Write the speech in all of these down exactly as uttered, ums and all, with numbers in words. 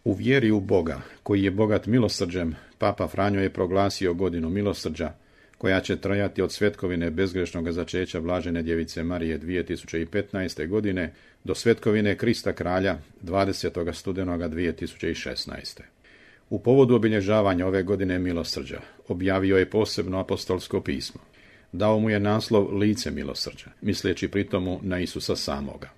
U vjeri u Boga, koji je bogat milosrđem, Papa Franjo je proglasio godinu milosrđa, koja će trajati od svetkovine bezgrešnog začeća Blažene djevice Marije dvije tisuće petnaeste. godine do svetkovine Krista Kralja dvadesetog studenoga dvije tisuće šesnaeste. U povodu obilježavanja ove godine milosrđa objavio je posebno apostolsko pismo. Dao mu je naslov Lice milosrđa, misleći pritomu na Isusa samoga.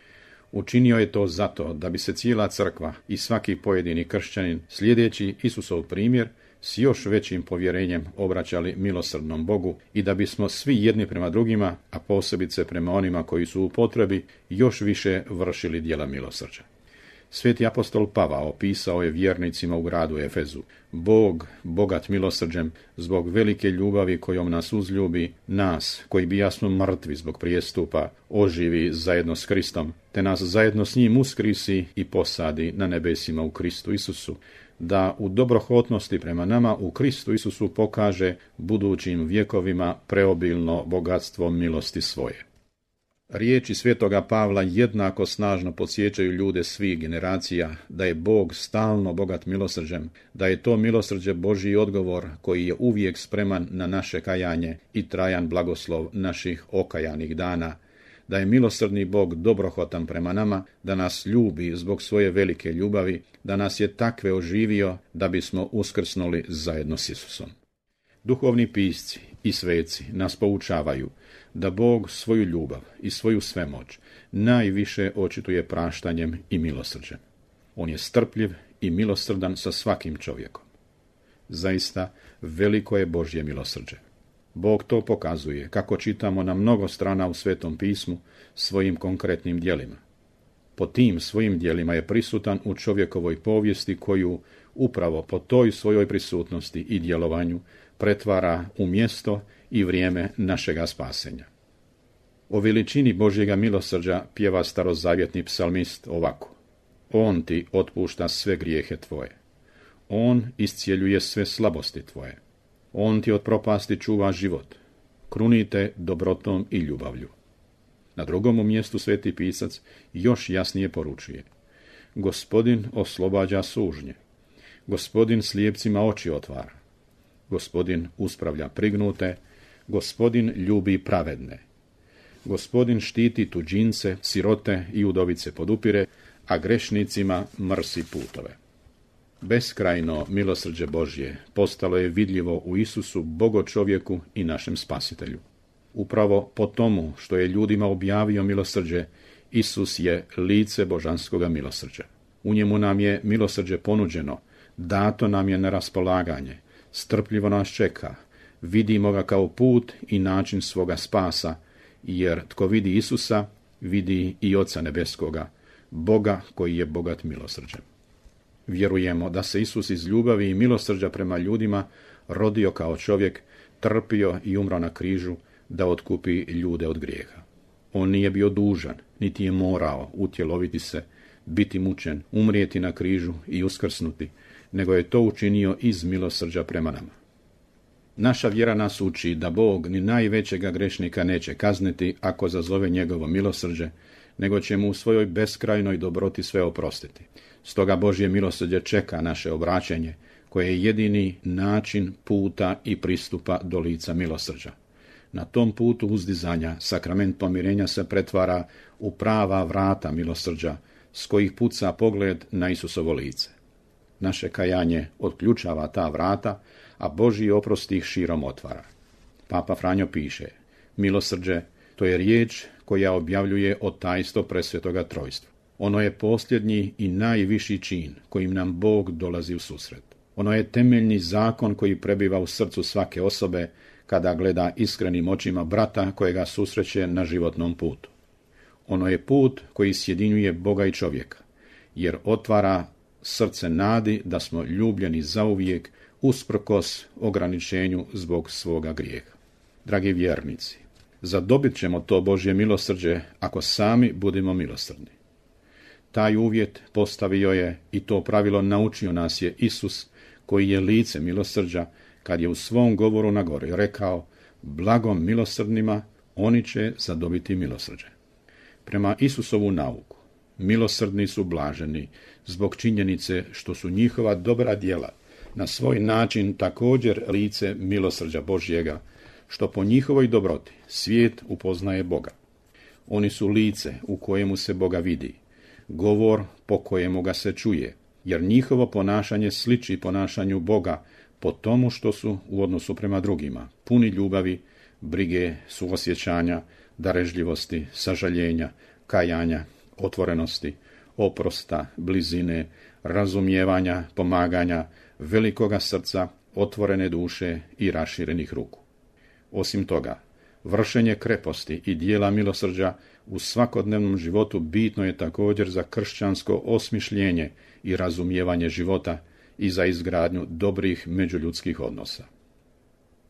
Učinio je to zato da bi se cijela crkva i svaki pojedini kršćanin, slijedeći Isusov primjer, s još većim povjerenjem obraćali milosrdnom Bogu i da bismo svi jedni prema drugima, a posebice prema onima koji su u potrebi, još više vršili djela milosrđa. Sveti apostol Pavao opisao je vjernicima u gradu Efezu: Bog, bogat milosrđem, zbog velike ljubavi kojom nas uzljubi, nas, koji bijasmo mrtvi zbog prijestupa, oživi zajedno s Kristom, te nas zajedno s njim uskrisi i posadi na nebesima u Kristu Isusu, da u dobrohotnosti prema nama u Kristu Isusu pokaže budućim vjekovima preobilno bogatstvo milosti svoje. Riječi svetoga Pavla jednako snažno podsjećaju ljude svih generacija da je Bog stalno bogat milosrđem, da je to milosrđe Božji odgovor koji je uvijek spreman na naše kajanje i trajan blagoslov naših okajanih dana, da je milosrdni Bog dobrohotan prema nama, da nas ljubi zbog svoje velike ljubavi, da nas je takve oživio da bismo uskrsnuli zajedno s Isusom. Duhovni pisci i sveci nas poučavaju da Bog svoju ljubav i svoju svemoć najviše očituje praštanjem i milosrđem. On je strpljiv i milosrdan sa svakim čovjekom. Zaista, veliko je Božje milosrđe. Bog to pokazuje, kako čitamo na mnogo strana u Svetom pismu, svojim konkretnim djelima. Po tim svojim djelima je prisutan u čovjekovoj povijesti koju upravo po toj svojoj prisutnosti i djelovanju pretvara u mjesto i vrijeme našega spasenja. O veličini Božjega milosrđa pjeva starozavjetni psalmist ovako: On ti otpušta sve grijehe tvoje. On iscijeljuje sve slabosti tvoje. On ti od propasti čuva život. Krunite dobrotom i ljubavlju. Na drugom mjestu sveti pisac još jasnije poručuje: Gospodin oslobađa sužnje. Gospodin slijepcima oči otvara. Gospodin uspravlja prignute. Gospodin ljubi pravedne. Gospodin štiti tuđince, sirote i udovice podupire, a grešnicima mrsi putove. Beskrajno milosrđe Božje postalo je vidljivo u Isusu, Bogo čovjeku i našem Spasitelju. Upravo po tomu što je ljudima objavio milosrđe, Isus je lice božanskoga milosrđa. U njemu nam je milosrđe ponuđeno, dato nam je na raspolaganje, strpljivo nas čeka, vidimo ga kao put i način svoga spasa, jer tko vidi Isusa, vidi i Oca nebeskoga, Boga koji je bogat milosrđem. Vjerujemo da se Isus iz ljubavi i milosrđa prema ljudima rodio kao čovjek, trpio i umro na križu da otkupi ljude od grijeha. On nije bio dužan, niti je morao utjeloviti se, biti mučen, umrijeti na križu i uskrsnuti, nego je to učinio iz milosrđa prema nama. Naša vjera nas uči da Bog ni najvećega grešnika neće kazniti ako zazove njegovo milosrđe, nego će mu u svojoj beskrajnoj dobroti sve oprostiti. Stoga Božje milosrđe čeka naše obraćenje, koje je jedini način puta i pristupa do lica milosrđa. Na tom putu uzdizanja sakrament pomirenja se pretvara u prava vrata milosrđa, s kojih puca pogled na Isusovo lice. Naše kajanje otključava ta vrata, a Božji oprost ih širom otvara. Papa Franjo piše: milosrđe, to je riječ koja objavljuje o tajstvo presvetoga trojstva. Ono je posljednji i najviši čin kojim nam Bog dolazi u susret. Ono je temeljni zakon koji prebiva u srcu svake osobe kada gleda iskrenim očima brata kojega susreće na životnom putu. Ono je put koji sjedinjuje Boga i čovjeka, jer otvara srce nadi da smo ljubljeni zauvijek usprkos ograničenju zbog svoga grijeha. Dragi vjernici, zadobit ćemo to Božje milosrđe ako sami budemo milosrdni. Taj uvjet postavio je i to pravilo naučio nas je Isus, koji je lice milosrđa, kad je u svom govoru na gori rekao: blagom milosrdnima, oni će zadobiti milosrđe. Prema Isusovu nauku, Milosrdni su blaženi, zbog činjenice što su njihova dobra djela na svoj način također lice milosrđa Božjega, što po njihovoj dobroti svijet upoznaje Boga. Oni su lice u kojemu se Boga vidi, govor po kojemu ga se čuje, jer njihovo ponašanje sliči ponašanju Boga po tomu što su u odnosu prema drugima, puni ljubavi, brige, suosjećanja, darežljivosti, sažaljenja, kajanja, otvorenosti, oprosta, blizine, razumijevanja, pomaganja, velikoga srca, otvorene duše i raširenih ruku. Osim toga, vršenje kreposti i dijela milosrđa u svakodnevnom životu bitno je također za kršćansko osmišljenje i razumijevanje života i za izgradnju dobrih međuljudskih odnosa.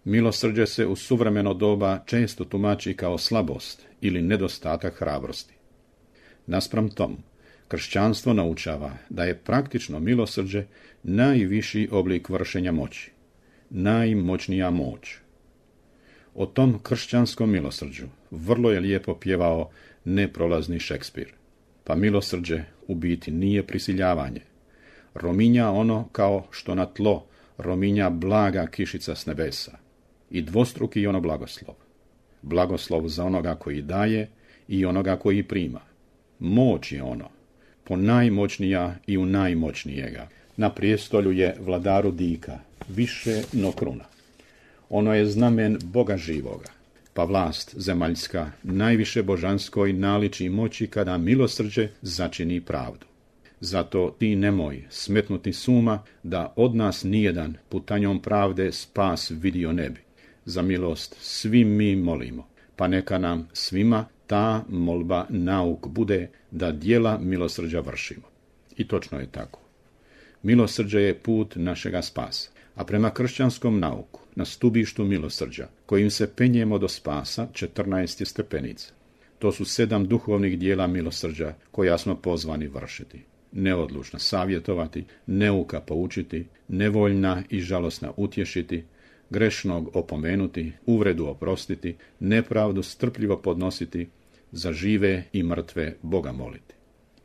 Milosrđe se u suvremeno doba često tumači kao slabost ili nedostatak hrabrosti. Naspram tomu, kršćanstvo naučava da je praktično milosrđe najviši oblik vršenja moći, najmoćnija moć. O tom kršćanskom milosrđu vrlo je lijepo pjevao neprolazni Šekspir. Pa milosrđe u biti nije prisiljavanje. Rominja ono kao što na tlo rominja blaga kišica s nebesa. I dvostruki je ono blagoslov. Blagoslov za onoga koji daje i onoga koji prima. Moć je ono, po najmoćnija i u najmoćnijega. Na prijestolju je vladaru dika, više no kruna. Ono je znamen Boga živoga, pa vlast zemaljska najviše božanskoj naliči moći kada milosrđe začini pravdu. Zato ti nemoj smetnuti suma da od nas nijedan putanjom pravde spas vidio ne bi. Za milost svi mi molimo, pa neka nam svima ta molba nauk bude da djela milosrđa vršimo. I točno je tako. Milosrđe je put našega spasa, a prema kršćanskom nauku, na stubištu milosrđa, kojim se penjemo do spasa, četrnaest je stepenica. To su sedam duhovnih dijela milosrđa koja smo pozvani vršiti. Neodlučna savjetovati, neuka poučiti, nevoljna i žalosna utješiti, grešnog opomenuti, uvredu oprostiti, nepravdu strpljivo podnositi, za žive i mrtve Boga moliti.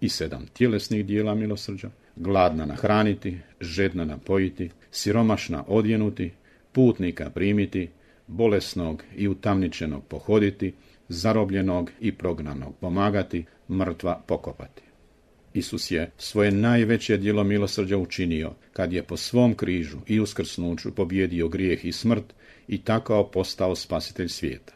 I sedam tjelesnih dijela milosrđa, gladna nahraniti, žedna napojiti, siromašna odjenuti, putnika primiti, bolesnog i utamničenog pohoditi, zarobljenog i prognanog pomagati, mrtva pokopati. Isus je svoje najveće djelo milosrđa učinio kad je po svom križu i uskrsnuću pobjedio grijeh i smrt i tako postao spasitelj svijeta.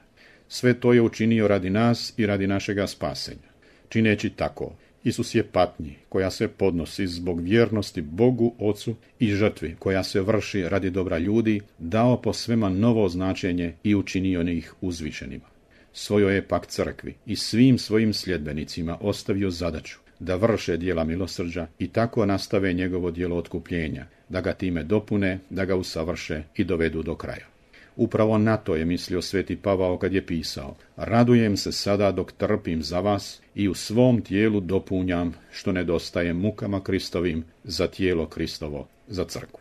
Sve to je učinio radi nas i radi našega spasenja. Čineći tako, Isus je patnji koja se podnosi zbog vjernosti Bogu Ocu i žrtvi koja se vrši radi dobra ljudi, dao po svema novo značenje i učinio ih uzvišenima. Svojoj je pak crkvi i svim svojim sljedbenicima ostavio zadaću da vrše djela milosrđa i tako nastave njegovo djelo otkupljenja, da ga time dopune, da ga usavrše i dovedu do kraja. Upravo na to je mislio sveti Pavao kad je pisao: radujem se sada dok trpim za vas i u svom tijelu dopunjam što nedostaje mukama Kristovim za tijelo Kristovo, za crkvu.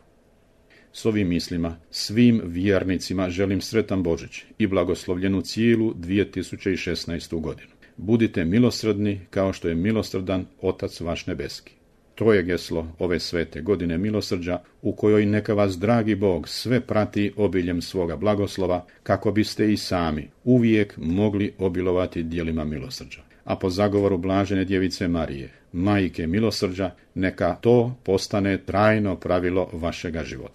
S ovim mislima svim vjernicima želim sretan Božić i blagoslovljenu cijelu dvije tisuće šesnaestu godinu. Budite milosrdni kao što je milosrdan Otac vaš nebeski. To je geslo ove svete godine milosrđa u kojoj neka vas dragi Bog sve prati obiljem svoga blagoslova kako biste i sami uvijek mogli obilovati djelima milosrđa. A po zagovoru blažene djevice Marije, majke milosrđa, neka to postane trajno pravilo vašega života.